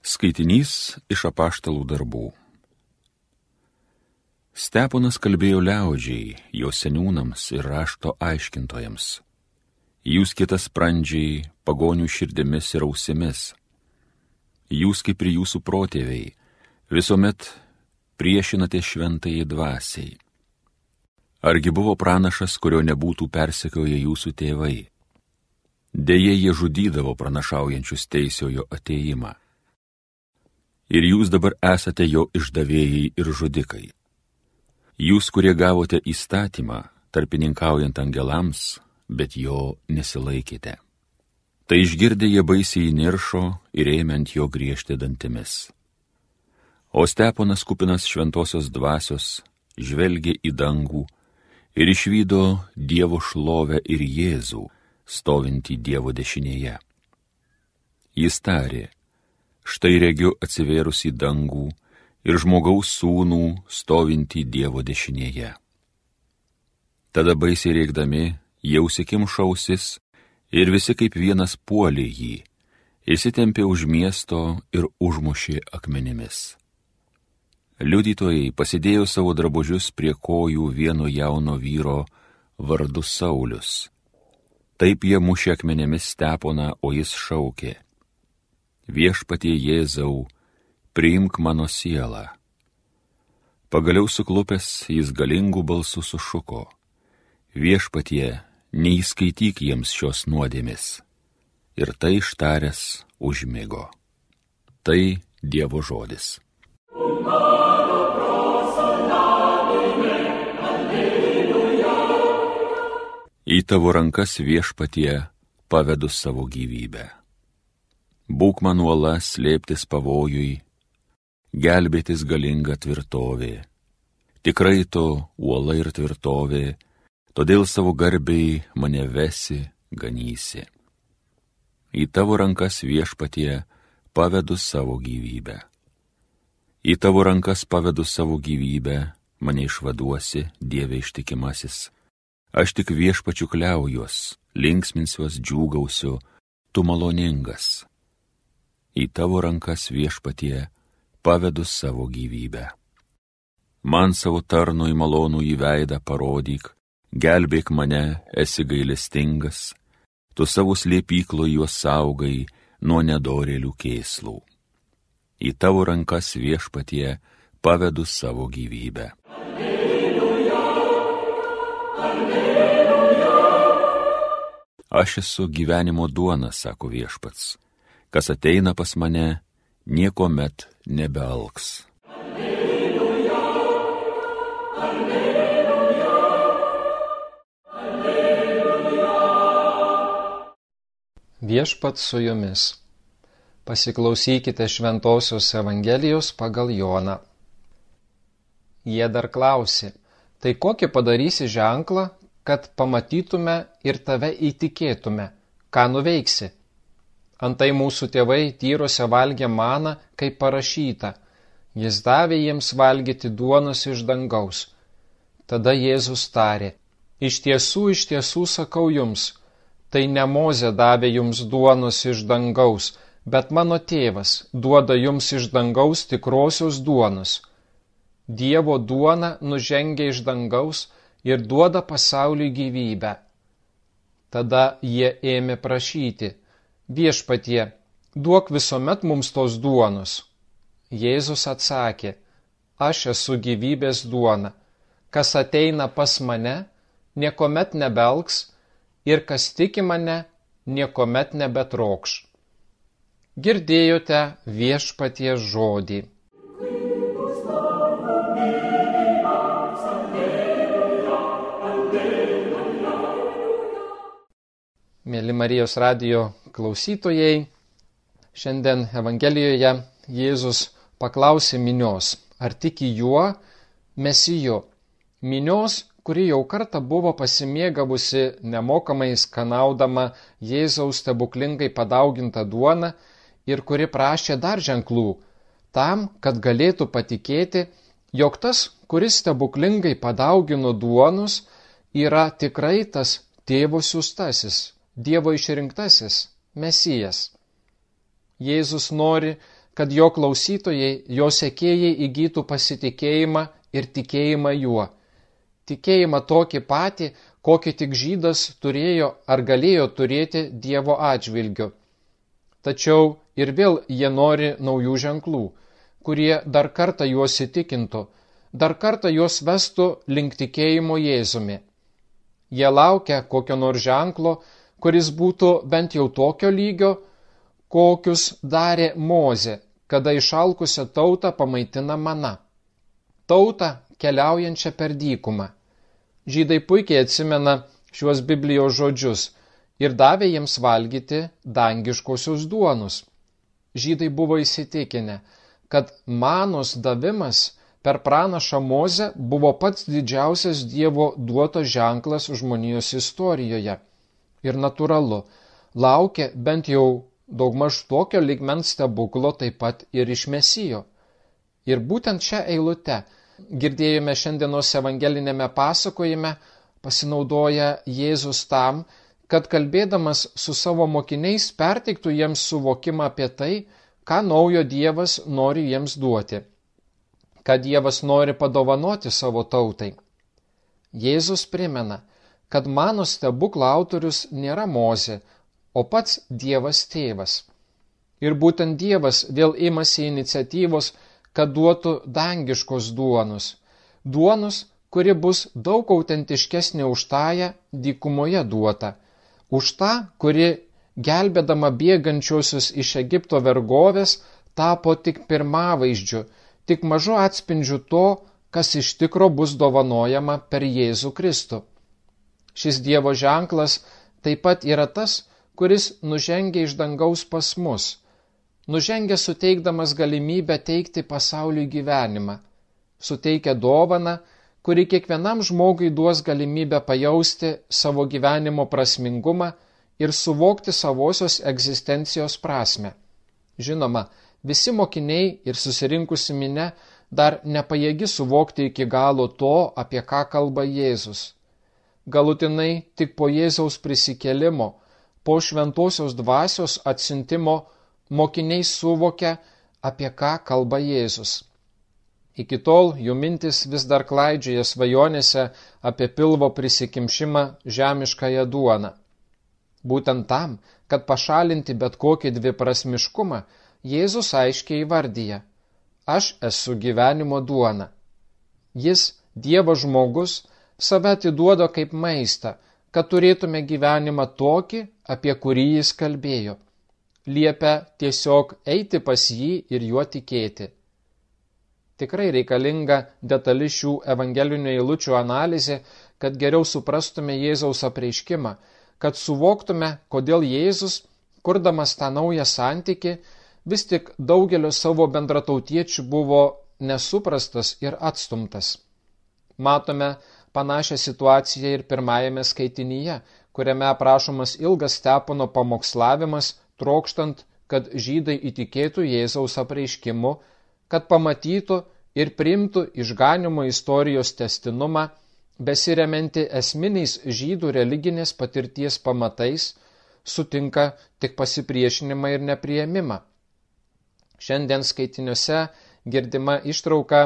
Skaitinys iš apaštalų darbų. Steponas kalbėjo liaudžiai, jo seniūnams ir rašto aiškintojams. Jūs kietasprandžiai, pagonių širdimis ir ausimis. Jūs kaip ir jūsų protėviai, visuomet priešinate šventajai dvasiai. Argi buvo pranašas, kurio nebūtų persekioję jūsų tėvai? Deja, jie žudydavo pranašaujančius teisiojo atėjimą. Ir jūs dabar esate jo išdavėjai ir žudikai. Jūs, kurie gavote įstatymą, tarpininkaujant angelams, bet jo nesilaikėte. Tai išgirdę jie baisiai įniršo ir ėmė ant jo griežti dantimis. O Steponas, kupinas šventosios dvasios, žvelgė į dangų ir išvydo Dievo šlovę ir Jėzų, stovintį Dievo dešinėje. Jis tarė: štai regiu atsivėrusį dangų ir žmogaus sūnų stovintį Dievo dešinėje. Tada baisiai rėkdami, jie užsikimšo ausis ir visi kaip vienas puolė jį, įsitempė už miesto ir užmušė akmenimis. Liudytojai pasidėjo savo drabužius prie kojų vieno jauno vyro vardu Saulius. Taip jie mušė akmenimis Steponą, o jis šaukė: Viešpatie Jėzau, priimk mano sielą. Pagaliau suklupęs jis galingų balsų sušuko: Viešpatie, neįskaityk jiems šios nuodėmės. Ir tai ištaręs užmigo. Tai Dievo žodis. Į tavo rankas, Viešpatie, pavedu savo gyvybę. Būk man uola slėptis pavojui, gelbėtis galinga tvirtovė. Tikrai tu uola ir tvirtovė, todėl savo garbei mane vesi, ganysi. Į tavo rankas, Viešpatie, pavedu savo gyvybę. Į tavo rankas pavedu savo gyvybę, mane išvaduosi, Dieve ištikimasis. Aš tik Viešpačiu kliaujuos, linksminsiuos, džiūgausiu, tu maloningas. Į tavo rankas, Viešpatie, pavedu savo gyvybę. Man savo tarnui malonų į veidą parodyk, gelbėk mane, esi gailestingas, tu savo slėpyklo juos saugai nuo nedorėlių kėslų. Į tavo rankas, Viešpatie, pavedu savo gyvybę. Alleluja, alleluja. Aš esu gyvenimo duona, sako Viešpats. Kas ateina pas mane, niekuomet nebealks. Alleluja, alleluja, alleluja. Viešpats su jumis. Pasiklausykite Šventosios Evangelijos pagal Joną. Jie dar klausė: tai kokį padarysi ženklą, kad pamatytume ir tave įtikėtume, ką nuveiksi? Antai mūsų tėvai tyrose valgė maną, kaip parašyta: jis davė jiems valgyti duonos iš dangaus. Tada Jėzus tarė: iš tiesų sakau jums, tai ne Mozė davė jums duonos iš dangaus, bet mano tėvas duoda jums iš dangaus tikrosios duonos. Dievo duona nužengia iš dangaus ir duoda pasauliui gyvybę. Tada jie ėmė prašyti: Viešpatie, duok visuomet mums tos duonos. Jėzus atsakė: aš esu gyvybės duona. Kas ateina pas mane, niekuomet nebelgs, ir kas tiki mane, niekuomet nebetrokš. Girdėjote Viešpaties žodį. Mėly Marijos radijo klausytojai, šiandien Evangelijoje Jėzus paklausė minios, ar tiki juo, Mesiju. Minios, kuri jau kartą buvo pasimėgavusi nemokamai skanaudama Jėzaus stebuklingai padaugintą duoną ir kuri prašė dar ženklų, tam, kad galėtų patikėti, jog tas, kuris stebuklingai padaugino duonos, yra tikrai tas Tėvo siųstasis, Dievo išrinktasis, Mesijas. Jėzus nori, kad jo klausytojai, jo sekėjai įgytų pasitikėjimą ir tikėjimą juo. Tikėjimą tokį patį, kokį tik žydas turėjo ar galėjo turėti Dievo atžvilgiu. Tačiau ir vėl jie nori naujų ženklų, kurie dar kartą juos įtikintų, dar kartą juos vestų link tikėjimo Jėzumi. Jie laukia kokio nors ženklo, kuris būtų bent jau tokio lygio, kokius darė Mozė, kada išalkusią tautą pamaitina mana. Tautą keliaujančią per dykumą. Žydai puikiai atsimena šiuos Biblijos žodžius ir davė jiems valgyti dangiškosius duonus. Žydai buvo įsitikinę, kad manos davimas per pranašą Mozę buvo pats didžiausias Dievo duotas ženklas žmonijos istorijoje. Ir natūralu, laukė bent jau daugmaž tokio lygmens stebuklo taip pat ir iš Mesijo. Ir būtent šią eilutę girdėjome šiandienos evangelinėme pasakojime, pasinaudoja Jėzus tam, kad kalbėdamas su savo mokiniais perteiktų jiems suvokimą apie tai, ką naujo Dievas nori jiems duoti, ką Dievas nori padovanoti savo tautai. Jėzus primena, kad mano stebuklo autorius nėra Mozė, o pats Dievas tėvas. Ir būtent Dievas vėl imasi iniciatyvos, kad duotų dangiškos duonus. Duonus, kuri bus daug autentiškesnė už tąją dykumoje duotą. Už tą, kuri, gelbėdama bėgančiosius iš Egipto vergovės, tapo tik pirmavaizdžiu, tik mažu atspindžiu to, kas iš tikro bus dovanojama per Jėzų Kristų. Šis Dievo ženklas taip pat yra tas, kuris nužengia iš dangaus pas mus, nužengia suteikdamas galimybę teikti pasauliui gyvenimą, suteikia dovaną, kuri kiekvienam žmogui duos galimybę pajausti savo gyvenimo prasmingumą ir suvokti savosios egzistencijos prasmę. Žinoma, visi mokiniai ir susirinkusi minia dar nepajėgi suvokti iki galo to, apie ką kalba Jėzus. Galutinai tik po Jėzaus prisikėlimo, po šventosios dvasios atsiuntimo mokiniai suvokia, apie ką kalba Jėzus. Iki tol jų mintis vis dar klaidžioja svajonėse apie pilvo prisikimšimą žemiškąją duoną. Būtent tam, kad pašalinti bet kokį dviprasmiškumą, Jėzus aiškiai įvardyja: aš esu gyvenimo duona. Jis, Dievo žmogus, save atiduoda kaip maistą, kad turėtume gyvenimą tokį, apie kurį jis kalbėjo. Liepia tiesiog eiti pas jį ir juo tikėti. Tikrai reikalinga detali šių evangelinių eilučių analizė, kad geriau suprastume Jėzaus apreiškimą, kad suvoktume, kodėl Jėzus, kurdamas tą naują santykį, vis tik daugelio savo bendratautiečių buvo nesuprastas ir atstumtas. Matome panašią situaciją ir pirmajame skaitinyje, kuriame aprašomas ilgas Stepono pamokslavimas, trokštant, kad žydai įtikėtų Jėzaus apreiškimu, kad pamatytų ir priimtų išganymo istorijos testinumą, besiremianti esminiais žydų religinės patirties pamatais, sutinka tik pasipriešinimą ir nepriėmimą. Šiandien skaitiniuose girdima ištrauka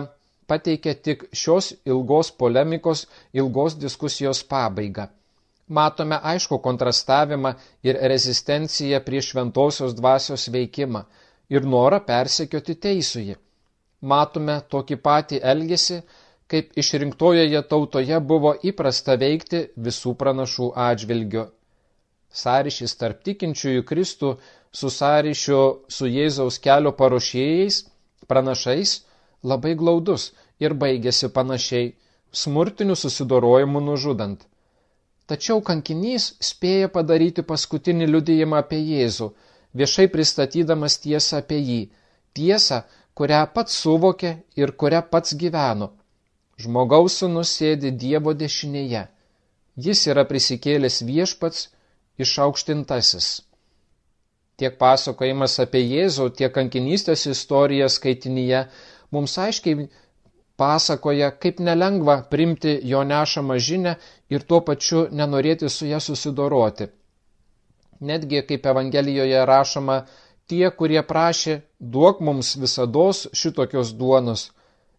pateikia tik šios ilgos polemikos, ilgos diskusijos pabaigą. Matome aišku kontrastavimą ir rezistenciją prieš šventosios dvasios veikimą ir norą persekioti teisųjį. Matome tokį patį elgesį, kaip išrinktojoje tautoje buvo įprasta veikti visų pranašų atžvilgiu. Sąryšis tarp tikinčiųjų Kristų su sąryšiu su Jėzaus kelio paruošėjais, pranašais, labai glaudus ir baigėsi panašiai, smurtiniu susidorojimu nužudant. Tačiau kankinys spėja padaryti paskutinį liudijimą apie Jėzų, viešai pristatydamas tiesą apie jį, tiesą, kurią pats suvokė ir kurią pats gyveno. Žmogaus sūnus sėdi Dievo dešinėje. Jis yra prisikėlęs viešpats, išaukštintasis. Tiek pasakojimas apie Jėzų, tiek kankinystės istorija skaitinyje mums aiškiai pasakoja, kaip nelengva priimti jo nešamą žinią ir tuo pačiu nenorėti su ją susidoroti. Netgi, kaip Evangelijoje rašoma, tie, kurie prašė, duok mums visados šitokios duonos,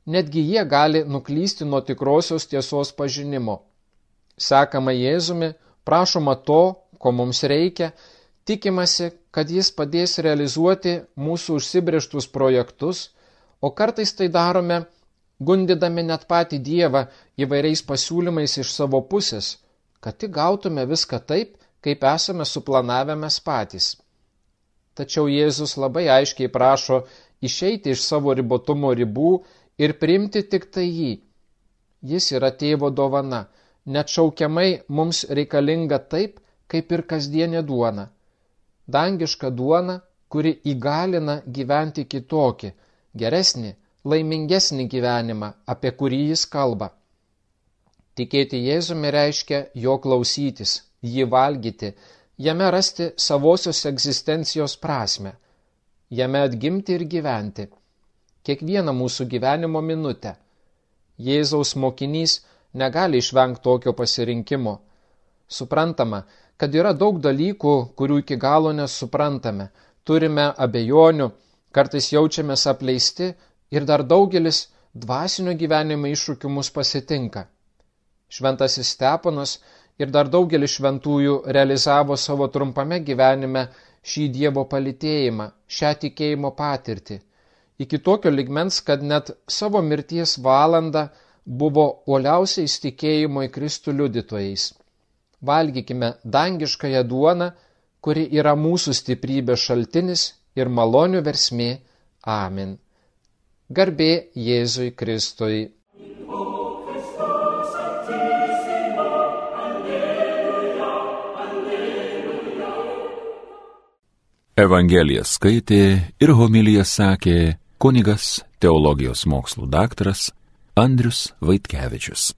netgi jie gali nuklysti nuo tikrosios tiesos pažinimo. Sekama Jėzumi, prašoma to, ko mums reikia, tikimasi, kad jis padės realizuoti mūsų užsibrėžtus projektus, o kartais tai darome, gundydami net patį Dievą įvairiais pasiūlymais iš savo pusės, kad tik gautume viską taip, kaip esame suplanavę mes patys. Tačiau Jėzus labai aiškiai prašo išeiti iš savo ribotumo ribų ir priimti tik tai jį. Jis yra tėvo dovana, neatšaukiamai mums reikalinga taip, kaip ir kasdienė duona. Dangiška duona, kuri įgalina gyventi kitokį, geresnį, laimingesnį gyvenimą, apie kurį jis kalba. Tikėti Jėzumi reiškia jo klausytis, jį valgyti, jame rasti savosios egzistencijos prasmę, jame atgimti ir gyventi. Kiekvieną mūsų gyvenimo minutę. Jėzaus mokinys negali išvengti tokio pasirinkimo. Suprantama, kad yra daug dalykų, kurių iki galo nesuprantame, turime abejonių, kartais jaučiamės apleisti ir dar daugelis dvasinio gyvenimo iššūkių mus pasitinka. Šventasis Steponas ir dar daugelis šventųjų realizavo savo trumpame gyvenime šį Dievo palytėjimą, šią tikėjimo patirtį. Iki tokio lygmens, kad net savo mirties valandą buvo uoliausiais tikėjimo į Kristų liudytojais. Valgykime dangiškąją duoną, kuri yra mūsų stiprybės šaltinis ir malonių versmė. Amen. Garbė Jėzui Kristui. Evangeliją skaitė ir homiliją sakė kunigas, teologijos mokslų daktaras Andrius Vaitkevičius.